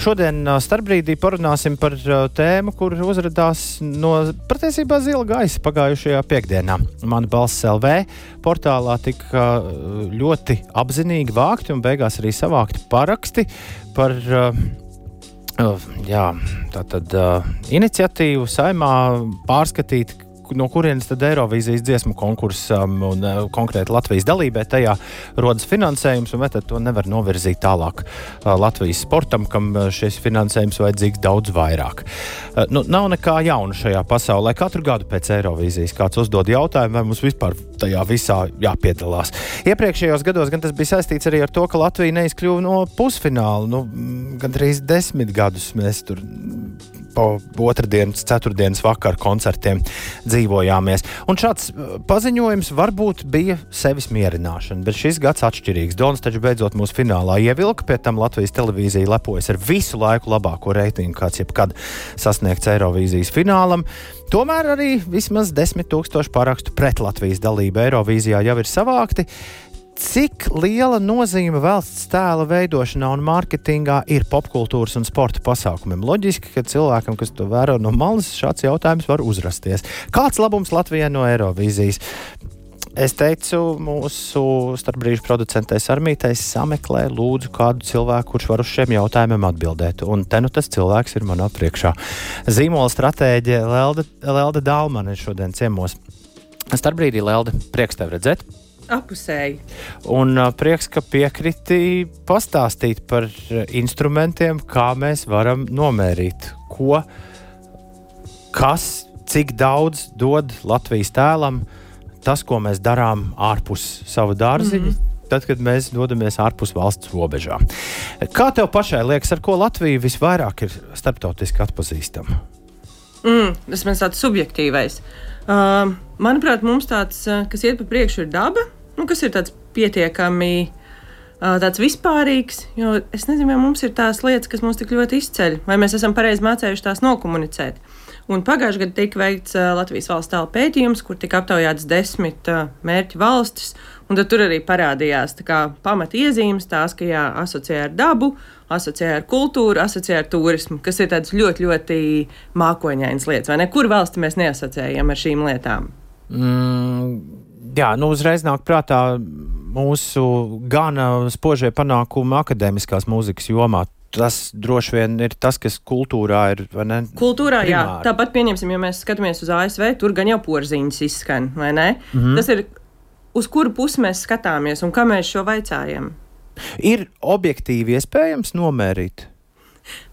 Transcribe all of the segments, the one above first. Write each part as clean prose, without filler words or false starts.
šodien starpbrīdī parunāsim par tēmu, kur uzradās no patiesībā zila gaisa pagājušajā piekdienā. Mana balss LV portālā tika ļoti apzinīgi vākti un beigās arī savākti paraksti par iniciatīvu Saeimā pārskatīt, no kurienes tad Eirovīzijas dziesmu konkursam un konkrēti Latvijas dalībai tajā rodas finansējums, un vai tad to nevar novirzīt tālāk Latvijas sportam, kam šis finansējums vajadzīgs daudz vairāk. Nav nekā jauna šajā pasaulē. Katru gadu pēc Eirovīzijas kāds uzdod jautājumu, vai mums vispār tajā visā jāpiedalās. Iepriekšējos gados gan tas bija saistīts arī ar to, ka Latvija neizkļuva no pusfināla. Gandrīz 10 gadus mēs tur pa otrdienas, ceturtdienas vakaru koncertiem dzīvojāmies. Un šāds paziņojums varbūt bija sevis mierināšana, bet šis gads atšķirīgs. Dons taču beidzot mūsu finālā ievilka, pie tam Latvijas televīzija lepojas ar visu laiku labāko reitingu, kāds jebkad sasniegts Eirovīzijas finālam. Tomēr arī vismaz 10 000 parakstu pret Latvijas dalību Eirovīzijā jau ir savākti. Cik liela nozīme valsts tēla veidošanā un mārketingā ir popkultūras un sporta pasākumiem? Loģiski, ka cilvēkam, kas to vēro no malas, šāds jautājums var uzrasties. Kāds labums Latvijai no Eirovīzijas? Es teicu mūsu starpbrīžu producentei Sarmītei, sameklē lūdzu kādu cilvēku, kurš var uz šiem jautājumiem atbildēt. Un te nu tas cilvēks ir manā priekšā. Zīmola stratēģe Lelde Dālmane šodien ciemos. Starpbrīdī, Lelde, prieks tev redzēt. Apusēji. Un prieks, ka piekriti pastāstīt par instrumentiem, kā mēs varam nomērīt, cik daudz dod Latvijas tēlam tas, ko mēs darām ārpus sava dārziņa, tad, kad mēs dodamies ārpus valsts robežām. Kā tev pašai liekas, ar ko Latvija visvairāk ir starptautiski atpazīstama? Tas man tāds subjektīvais. Manuprāt, mums tāds, kas iet pa priekšu, ir daba, kas ir tāds pietiekami tāds vispārīgs, jo es nezinu, vai mums ir tās lietas, kas mums tik ļoti izceļ, vai mēs esam pareizi mācējuši tās nokomunicēt. Un pagājušajā gadā tika veikts Latvijas valsts tēla pētījums, kur tika aptaujāts 10 mērķu valstis, un tad tur arī parādījās pamata iezīmes tās, ka asociē ar dabu, asociē ar kultūru, asociē ar turismu, kas ir tādas ļoti, ļoti mākoņainas lietas, vai ne? Kur valsti mēs neasociējam ar šīm lietām? Uzreiz nāk prātā mūsu gana spožie panākumi akadēmiskās mūzikas jomā. Tas droši vien ir tas, kas kultūrā ir, vai ne? Kultūrā, primāri. jā. Tāpat pieņemsim, ja mēs skatāmies uz ASV, tur gan jau porziņas izskan, vai ne? Tas ir, uz kuru pusi mēs skatāmies un kā mēs šo vaicājam. Ir objektīvi iespējams nomērīt?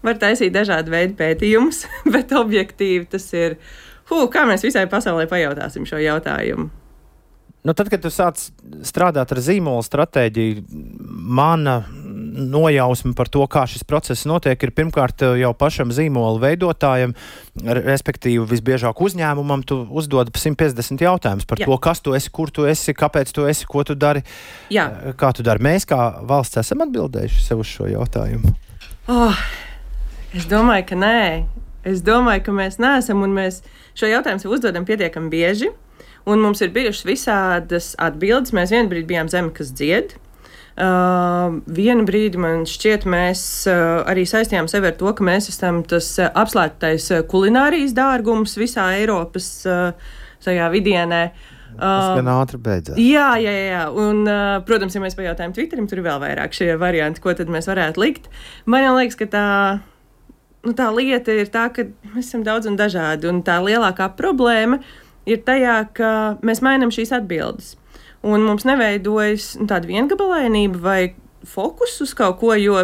Var taisīt dažādu veidu pētījumus, bet objektīvi tas ir, kā mēs visai pasaulē pajautāsim šo jautājumu. Tad, kad tu sāc strādāt ar zīmola stratēģiju, mana nojausma par to, kā šis process notiek, ir pirmkārt jau pašam zīmola veidotājam, respektīvi visbiežāk uzņēmumam, tu uzdod 150 jautājumus par to, kas tu esi, kur tu esi, kāpēc tu esi, ko tu dari, kā tu dari. Mēs kā valsts esam atbildējuši sev uz šo jautājumu? Es domāju, ka nē. Es domāju, ka mēs neesam, un mēs šo jautājumu sev uzdodam pietiekami bieži. Un mums ir bijušas visādas atbildes. Mēs vienu brīdi bijām zeme, kas dzied. Vienu brīdi man šķiet, mēs arī saistījām sevi ar to, ka mēs esam tas apslēptais kulinārijas dārgums visā Eiropas tajā vidienē. Tas gan ātri beidzās. Jā. Un, protams, ja mēs pajautājam Twitterim, tur ir vēl vairāk šie varianti, ko tad mēs varētu likt. Man liekas, ka tā lieta ir tā, ka mēs esam daudz un dažādi. Un tā lielākā problēma ir tajā, ka mēs mainām šīs atbildes. Un mums neveidojas tāda viengabalainība vai fokus uz kaut ko, jo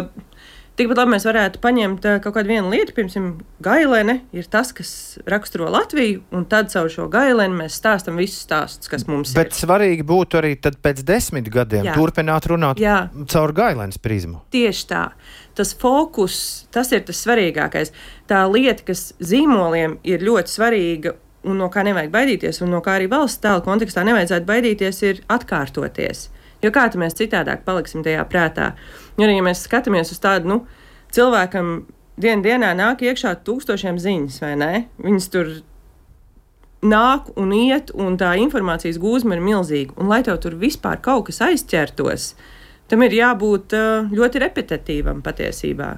tikpat labi mēs varētu paņemt kaut kādu vienu lietu, piemēram, gailene ir tas, kas raksturo Latviju, un tad caur šo gaileni mēs stāstam visus stāstus, kas mums Bet svarīgi būtu arī tad pēc 10 gadiem turpināt runāt caur gailenes prizmu. Tieši tā. Tas fokus, tas ir tas svarīgākais. Tā lieta, kas zīmoliem ir ļoti svarīga, un no kā nevajag baidīties, un no kā arī valsts tēla kontekstā nevajadzētu baidīties, ir atkārtoties. Jo kā tad mēs citādāk paliksim tajā prātā? Jo arī, ja mēs skatāmies uz tādu, cilvēkam dienā nāk iekšā 1000 ziņas, vai ne? Viņas tur nāk un iet, un tā informācijas gūzma ir milzīga. Un lai tev tur vispār kaut kas aizķertos, tam ir jābūt ļoti repetitīvam patiesībā.